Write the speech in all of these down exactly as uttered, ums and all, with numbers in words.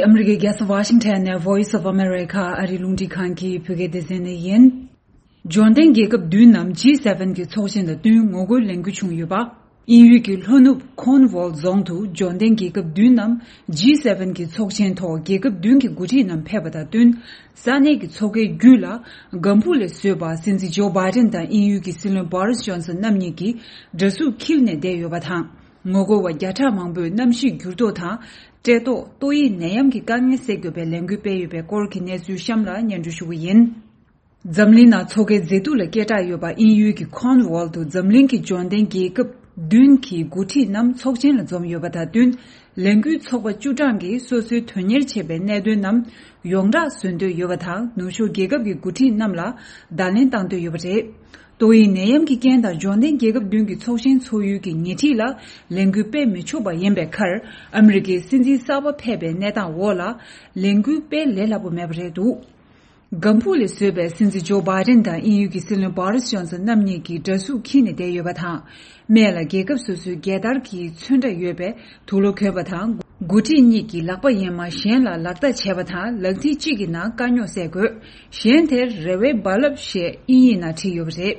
ཨ་མི་རི་ཀའི་རྒྱལ་ས་ཝ་ཤིང་ཊོན་ནས་Voice of America ཨ་རིའི་རླུང་འཕྲིན་ཁང་གི་བོད་སྐད་སྡེ་ཚན་ནས་ཡིན། འབྱོར་ལྡན་རྒྱལ་ཁབ་བདུན་ནམ་ཇི་སེ་ཝེན་གྱི་ཚོགས་ཆེན་དང་བསྟུན་ངོ་རྒོལ་ལས་འགུལ་བྱུང་ཡོད་པ། དབྱིན་ཡུལ་གྱི་ལྷོ་ནུབ་ཁོན་ཝོལ་རྫོང་དུ་འབྱོར་ལྡན་རྒྱལ་ཁབ་བདུན་ནམ་ཇི་སེ་ཝེན་གྱི་ཚོགས་ཆེན་ཐོག་རྒྱལ་ཁབ་བདུན་གྱི་འགོ་ཁྲིད་རྣམས་ཕེབས་པ་དང་བསྟུན། ས་གནས་ཀྱི་མཚོ་ཁའི་རྒྱུད་ལ་ལྒང་བུ་ལས་བཟོས་པ་སྲིད་འཛིན་ཇོ་བྷའི་ཏིན་དང་དབྱིན་ཡུལ་གྱི་སྲིད་བློན་བྷོ་རིས་ཇོན་སན་རྣམ་གཉིས་ཀྱིས་འདྲ་གཟུགས་འཁྱེར་ནས་བསྡད་ཡོད་པ་དང་། ངོ་རྒོལ་བ་བརྒྱ་ཕྲག་མང་པོས་གནམ་གཤིས་འགྱུར་ལྡོག་དང་། བཀྲེས་ལྟོགས། ཏོག་དབྱིབས་ནད་ཡམས་ཀྱི་དཀའ་ངལ་སེལ་དགོས་པའི་ལས་འགུལ་སྤེལ་ཡོད་པའི་སྐོར་གྱི་གནས་ཚུལ་གཤམ་ལ་སྙན་སྒྲོན་ཞུ་གི་ཡིན། འཛམ་གླིང་ནང་མཚོ་ཁའི་མཛེས་སྡུག་ལ་སྐད་གྲགས་ཡོད་པ་དབྱིན་ཡུལ་གྱི་ཁོན་ཝོལ་དུ་འཛམ་གླིང་གི་འབྱོར་ལྡན་རྒྱལ་ཁབ་བདུན་གྱི་འགོ་ཁྲིད་རྣམས་ཚོགས་ཆེན་ལ་འཛོམས་ཡོད་པ་དང་བསྟུན། ལས་འགུལ་ཚོགས་པ་བཅུ་གྲངས་ཀྱིས་སོ་སོའི་དོན་གཉེར་བྱེད་པའི་གནད་དོན་རྣམས་ཡོངས་གྲགས་བཟོ་འདོད་ཡོད་པ་དང་། ནུབ་ཕྱོགས་རྒྱལ་ཁབ་ཀྱི་འགོ་ཁྲིད་རྣམས་ལ་བརྡ་ལན་བཏང་འདོད་ཡོད་པ་རེད། ཏོག་དབྱིབས་ནད་ཡམས་ཀྱི་རྐྱེན་དང་འབྱོར་ལྡན་རྒྱལ་ཁབ་བདུན་གྱི་ཚོགས་ཆེན་འཚོགས་ཡུལ་གྱི་ཉེ་འཁྲིས་ལ་ལས་འགུལ་སྤེལ་མི་ཆོག་པ་ཡིན་པའི་ཁར། ཨ་མི་རི་ཀའི་སྲིད་འཛིན་གསར་པ་ཕེབས་པའི་གནས་སྟངས་འོག་ལ་ལས་འགུལ་སྤེལ་ལས་སླ་པོ་མེད་པ་རེད་འདུག་ལྒང་བུ་ལས་བཟོས་པའི་སྲིད་འཛིན་ཇོ་བྷའི་ཏིན་དང་དབྱིན་ཡུལ་གྱི་སྲིད་བློན་བྷོ་རིས་ཇོན་སན་རྣམ་གཉིས་ཀྱིས་འདྲ་གཟུགས་འཁྱེར་ནས་བསྡད་ཡོད་པ་དང་། སྨད་ལ་རྒྱལ་ཁབ་སོ་སོའི་རྒྱལ་དར་གྱི་ཚོན་ཁྲ་ཡོད་པའི་དུག་ལོག་གྱོན་པ་དང་། འགོ་ཁྲིད་གཉིས་ཀྱིས་ལག་པ་གཡས་མ་གཞན་ལ་ལག་རྟགས་བྱས་པ་དང་། ལག་མཐིལ་གཅིག་གི་ནང་དཀའ་རྙོག་སེལ་དགོས། གཞན་དེར་རེ་བའི་རྦ་རླབས་ཞེས་དབྱིན་ཡིག་ནང་བྲིས་ཡོད་པ་རེད།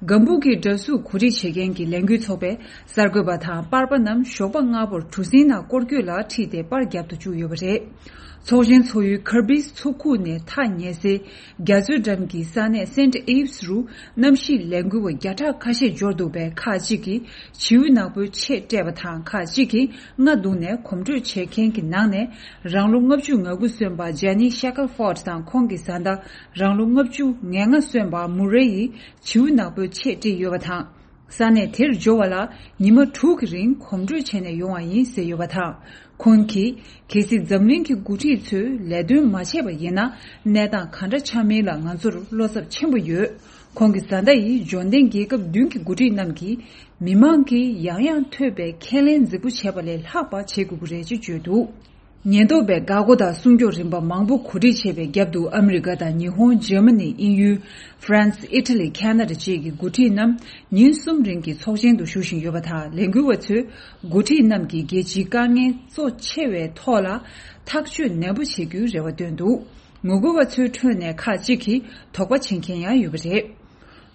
ལྒང་བུ་གི་འདྲ་གཟུགས་གོ་སྒྲིག་བྱེད་མཁན་གྱི་ལས་འགུལ་ཚོགས་པས་གསར་འགོད་པ་དང་པར་པ་རྣམས་ཞོགས་པ་སྔ་པོར་གྲུ་གཟིངས་ནང་སྐོར་སྐྱོད་ལ་ཁྲིད་དེ་པར་རྒྱབ་ཏུ་བཅུག་ཡོད་པ་རེད། ཚོགས་ཆེན་ཚོགས་ཡུལ་ཁར་བིས་མཚོ་ཁུག་ནས་ཐག་ཉེ་སའི་རྒྱ་མཚོའི་འགྲམ་གྱི་ས་གནས་སེན་ཊི་ཨིབས་རུ་གནམ་གཤིས་ལས་འགུལ་བ་བརྒྱ་ཕྲག་ཁ་ཤས་འབྱོར་འདུག་པའི་ཁག་ཅིག་གིས་བྱིའུ་ནག་པོའི་ཆས་སྤྲས་པ་དང་། ཁག་ཅིག་གིས་རྔ་བརྡུངས་ནས་གོམ་བགྲོད་བྱེད་མཁན་གྱི་ནང་ནས་རང་ལོ་ལྔ་བཅུ་ང་དགུ་སོན་པ་ཇ་ནི་ཤ་ཀལ་ཧྥོར་ཌི་དང་ཁོང་གི་བཟའ་ཟླ་རང་ལོ་ལྔ་བཅུ་ང་ལྔ་སོན་པ་མུ་རེ་ཡིས་བྱིའུ་ནག་པོའི་ཆས་སྤྲས་ཡོད་པ་དང་། ས་གནས་དེར་འབྱོར་བ་ལ་ཉི་མ་དྲུག་གི་རིང་གོམ་བགྲོད་བྱས་ནས་ཡོང་བ་ཡིན་ཟེར་ཡོད་པ་དང་། ཁོང་གིས་གལ་སྲིད་འཛམ་གླིང་གི་འགོ་ཁྲིད་ཚོས་ལས་དོན་མ་བྱས་པ་ཡིན་ན། གནས་སྟངས་ག་འདྲ་ཆགས་མིན་ལ་ང་ཚོར་བློ་འཚབ་ཆེན་པོ་ཡོད། ཁོང་གི་བཟའ་ཟླ་ཡིས་འབྱོར་ལྡན་རྒྱལ་ཁབ་བདུན་གྱི་འགོ་ཁྲིད་རྣམས་ཀྱིས་མི་མང་གིས་ཡང་ཡང་ཐོས་པའི་ཁས་ལེན་རྫིག་པོ་བྱས་པ་ལས་ལྷག་པ་བྱེད་དགོས་ཀྱི་རེད་ཅེས་བརྗོད་འདུག་ཉེན་རྟོག་པས་འགག་སྒོ་དང་སྲུང་སྐྱོབ་རིམ་པ་མང་པོ་གོ་སྒྲིག་བྱས་པའི་རྒྱབ་ཏུ། ཨ་མི་རི་ཀ་དང་ཉི་ཧོང་། འཇར་མ་ནི། དབྱིན་ཡུལ། ཧྥ་རན་སི། ཨི་ཊ་ལི། ཁ་ན་ཌ་བཅས་ཀྱི་འགོ་ཁྲིད་རྣམས་ཉིན་གསུམ་རིང་གི་ཚོགས་ཆེན་དུ་ཞུགས་བཞིན་ཡོད་པ་དང་། ལས་འགུལ་བ་ཚོས་འགོ་ཁྲིད་རྣམས་ཀྱིས་རྒྱལ་སྤྱིའི་དཀའ་ངལ་གཙོ་ཆེ་བའི་ཐོག་ལ་ཐག་གཅོད་ནན་པོ་བྱེད་རྒྱུའི་རེ་བ་བཏོན་འདུག་ངོ་རྒོལ་བ་ཚོའི་ཁྲོད་ནས་ཁག་ཅིག་གིས་དོགས་པ་བྱེད་མཁན་ཡང་ཡོད་པ་རེད།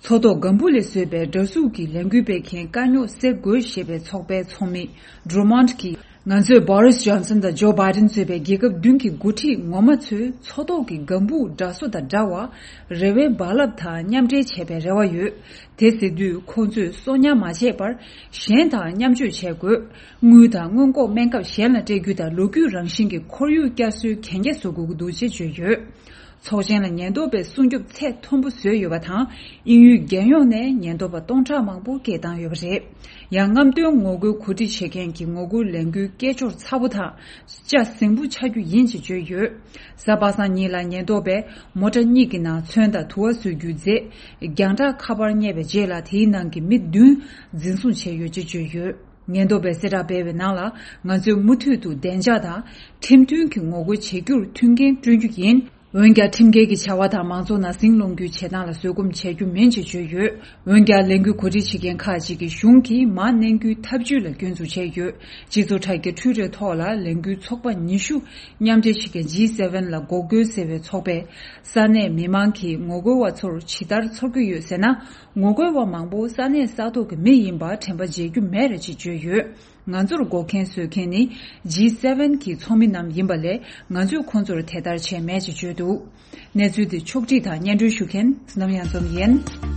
མཚོ་ཐོག་ལྒང་བུ་ལས་བཟོས་པའི་འདྲ་གཟུགས་ཀྱི་ལས་འགུལ་སྤེལ་མཁན་དཀའ་རྙོག་སེལ་དགོས་ཞེས་པའི་ཚོགས་པའི་ཚོགས་མི་ཌུ་རུ་མོན་ཊི་གིས། ང་ཚོས་བྷོ་རིས་ཇོན་སན་དང་ཇོ་བྷའི་ཏིན་གཙོས་པའི་རྒྱལ་ཁབ་བདུན་གྱི་འགོ་ཁྲིད་ངོ་མ་ཚོས་མཚོ་ཐོག་གི་ལྒང་བུ་འདྲ་བཟོ་དང་འདྲ་བར་རེ་བའི་རྦ་རླབས་དང་མཉམ་འབྲེལ་བྱས་པའི་རེ་བ་ཡོད། དེ་ཟེར་དུས་ཁོང་ཚོས་གསོག་ཉར་མ་བྱས་པར་གཞན་དང་མཉམ་སྤྱོད་བྱེད་དགོས། དངུལ་དང་སྔོན་འགོག་སྨན་ཁབ་གཞན་ལ་སྤྲད་རྒྱུ་དང་ལོ་རྒྱུས་རང་བཞིན་གྱི་ཁོར་ཡུག་བསྐྱར་གསོའི་གན་རྒྱ་བཟོ་དགོས་ཀྱི་འདུག་ཅེས་བརྗོད་ཡོད། ཚོགས་ཆེན་ལ་ཉེན་རྟོག་པས་སྲུང་སྐྱོབ་ཚད་མཐོན་པོ་བཟོས་ཡོད་པ་དང་། དབྱིན་ཡུལ་རྒྱལ་ཡོངས་ནས་ཉེན་རྟོག་པ་སྟོང་ཕྲག་མང་པོ་སྐད་བཏང་ཡོད་པ་རེད། ཡང་རྔམ་སྟོན་ངོ་རྒོལ་གོ་སྒྲིག་བྱེད་མཁན་གྱི་ངོ་རྒོལ་ལས་འགུལ་སྐད་ཅོར་ཚ་པོ་དང་ལྕགས་ཟིང་པོ་ཆགས་རྒྱུ་ཡིན་ཞེས་བརྗོད་ཡོད། གཟའ་པ་སངས་ཉིན་ལ་ཉེན་རྟོག་པས་མོ་ཊ་གཉིས་ཀྱི་ནང་ཚོན་དང་དུ་བ་བཟོ་རྒྱུའི་རྫས། རྒྱང་བསྒྲགས་ཁ་པར་རྙེད་པའི་རྗེས་ལ་དེའི་ནང་གི་མི་བདུན་འཛིན་བཟུང་བྱས་ཡོད་ཅེས་བརྗོད་ཡོད། ཉེན་རྟོག་པས་གསལ་བསྒྲགས་སྤེལ་བའི་ནང་ལ། ང་ཚོས་མུ་མཐུད་དུ་བདེ་འཇགས་དང་ཁྲིམས་མཐུན་གྱི་ངོ་རྒོལ་བྱེད་རྒྱུར་མཐུན་རྐྱེན་བསྐྲུན་རྒྱུ་ཡིན། འོན་ཀྱང་ཁྲིམས་འགལ་གྱི་བྱ་བ་དང་མང་ཚོགས་ནང་ཟིང་སློང་རྒྱུའི་བྱེད་སྟངས་ལ་བཟོད་སྒོམ་བྱེད་རྒྱུ་མིན་ཅེས་བརྗོད་ཡོད། འོན་ཀྱང་ལས་འགུལ་གོ་སྒྲིག་བྱེད་མཁན་ཁག་ཅིག་གིས་གཞུང་གིས་མར་མནན་རྒྱུའི་ཐབས་ཇུས་ལ་སྐྱོན་འཛུགས་བྱས་ཡོད། སྤྱི་ཚོགས་དྲ་རྒྱའི་ཊུའི་ཊར་ཐོག་ལ་ལས་འགུལ་ཚོགས་པ་ཉི་ཤུ་མཉམ་འབྲེལ་བྱེད་མཁན་ཇི་སེ་ཝེན་ལ་འགོག་རྒོལ་ཟེར་བའི་ཚོགས་པས། ས་གནས་མི་མང་གིས་ངོ་རྒོལ་བ་ཚོར་ཇི་ལྟར་ཚོར་གྱི་ཡོད་ཟེར་ན། ངོ་རྒོལ་བ་མང་པོ་ས་གནས་ས་ཐོག་གི་མི་ཡིན་པར་དྲན་པ་བརྗེད་རྒྱུ་མེད་རེད་ཅེས་བརྗོད་ཡོད། ང་ཚོར་འགོག་རྐྱེན་བཟོ་མཁན་ནི་ཇི་སེ་ཝེན་གྱི་ཚོགས་མི་རྣམས་ཡིན་པ་ལས། ང་ཚོས་ཁོང་ཚོར་དེ་ལྟར་བྱས་མེད་ཅེས་བརྗོད་འདུག་གནས་ཚུལ་འདི་ཕྱོགས་བསྒྲིགས་དང་སྙན་སྒྲོན་ཞུ་མཁན་ནམ་ཡང་འཛོམས་ཡིན།